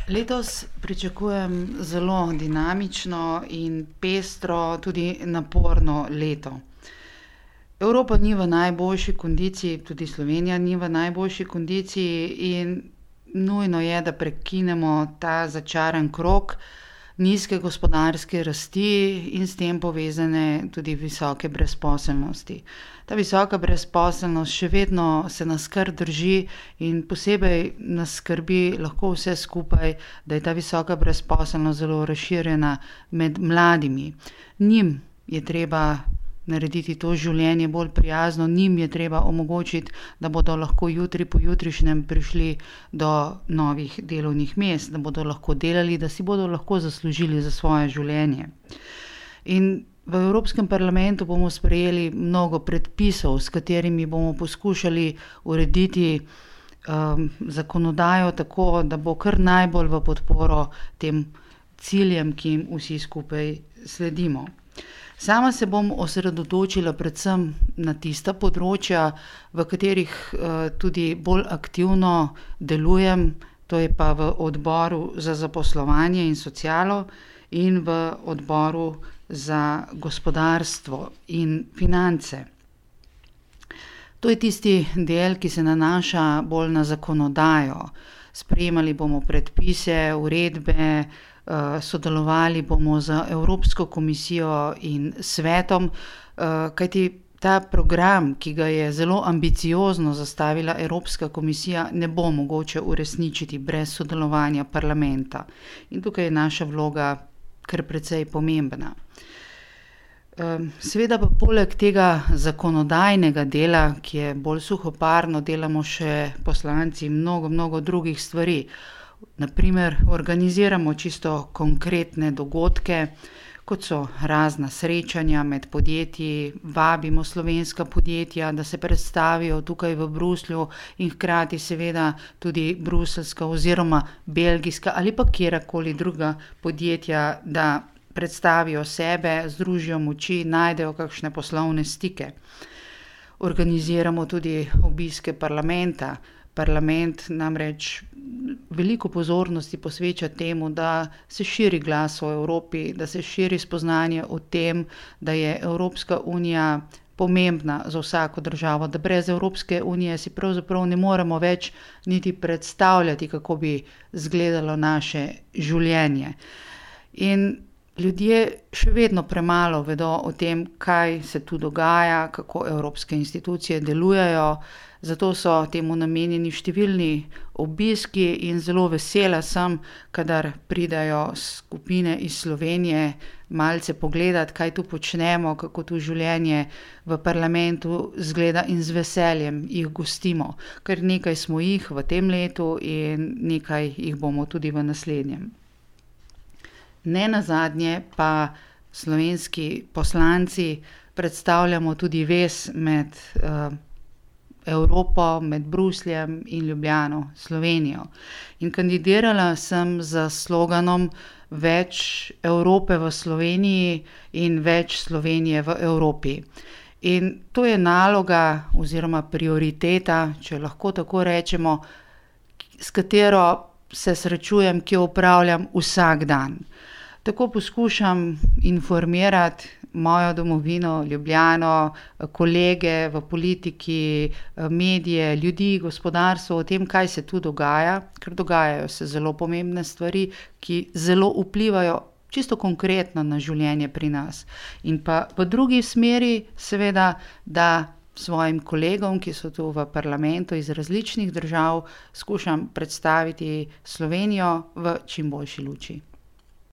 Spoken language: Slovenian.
Letos pričakujem zelo dinamično in pestro, tudi naporno leto. Evropa ni v najboljši kondiciji, tudi Slovenija ni v najboljši kondiciji in nujno je, da prekinemo ta začaran krog nizke gospodarske rasti in s tem povezane tudi visoke brezposelnosti. Ta visoka brezposelnost še vedno se nas kar drži in posebej nas skrbi lahko vse skupaj, da je ta visoka brezposelnost zelo razširjena med mladimi. Njim je treba narediti to življenje bolj prijazno, njim je treba omogočiti, da bodo lahko jutri pojutrišnjem prišli do novih delovnih mest, da bodo lahko delali, da si bodo lahko zaslužili za svoje življenje. In v Evropskem parlamentu bomo sprejeli mnogo predpisov, s katerimi bomo poskušali urediti zakonodajo tako, da bo kar najbolj v podporo tem ciljem, ki jim vsi skupaj sledimo. Sama se bom osredotočila predvsem na tista področja, v katerih tudi bolj aktivno delujem, to je pa v odboru za zaposlovanje in socialo in v odboru za gospodarstvo in finance. To je tisti del, ki se nanaša bolj na zakonodajo. Sprejemali bomo predpise, uredbe, sodelovali bomo z Evropsko komisijo in svetom, kajti ta program, ki ga je zelo ambiciozno zastavila Evropska komisija, ne bo mogoče uresničiti brez sodelovanja parlamenta. In tukaj je naša vloga kar precej pomembna. Seveda pa poleg tega zakonodajnega dela, ki je bolj suhoparno, delamo še poslanci mnogo drugih stvari. Na primer, organiziramo čisto konkretne dogodke, kot so razna srečanja med podjetji, vabimo slovenska podjetja, da se predstavijo tukaj v Bruslju in hkrati seveda tudi bruseljska oziroma belgijska ali pa kjerkoli druga podjetja, da predstavijo sebe, združijo moči, najdejo kakšne poslovne stike. Organiziramo tudi obiske parlamenta. Parlament namreč veliko pozornosti posveča temu, da se širi glas o Evropi, da se širi spoznanje o tem, da je Evropska unija pomembna za vsako državo, da brez Evropske unije si pravzaprav ne moremo več niti predstavljati, kako bi izgledalo naše življenje. In ljudje še vedno premalo vedo o tem, kaj se tu dogaja, kako evropske institucije delujejo, zato so temu namenjeni številni obiski in zelo vesela sem, kadar pridajo skupine iz Slovenije malce pogledati, kaj tu počnemo, kako tu življenje v parlamentu izgleda in z veseljem jih gostimo. Kar nekaj smo jih v tem letu in nekaj jih bomo tudi v naslednjem. Nenazadnje pa slovenski poslanci predstavljamo tudi vez med Evropo, med Brusljem in Ljubljano, Slovenijo. In kandidirala sem z sloganom Več Evrope v Sloveniji in več Slovenije v Evropi. In to je naloga oziroma prioriteta, če lahko tako rečemo, s katero se srečujem, ki jo opravljam vsak dan. Tako poskušam informirati mojo domovino, Ljubljano, kolege v politiki, medije, ljudi, gospodarstvo o tem, kaj se tu dogaja, ker dogajajo se zelo pomembne stvari, ki zelo vplivajo čisto konkretno na življenje pri nas. In pa v drugi smeri seveda, da svojim kolegom, ki so tu v parlamentu iz različnih držav, skušam predstaviti Slovenijo v čim boljši luči.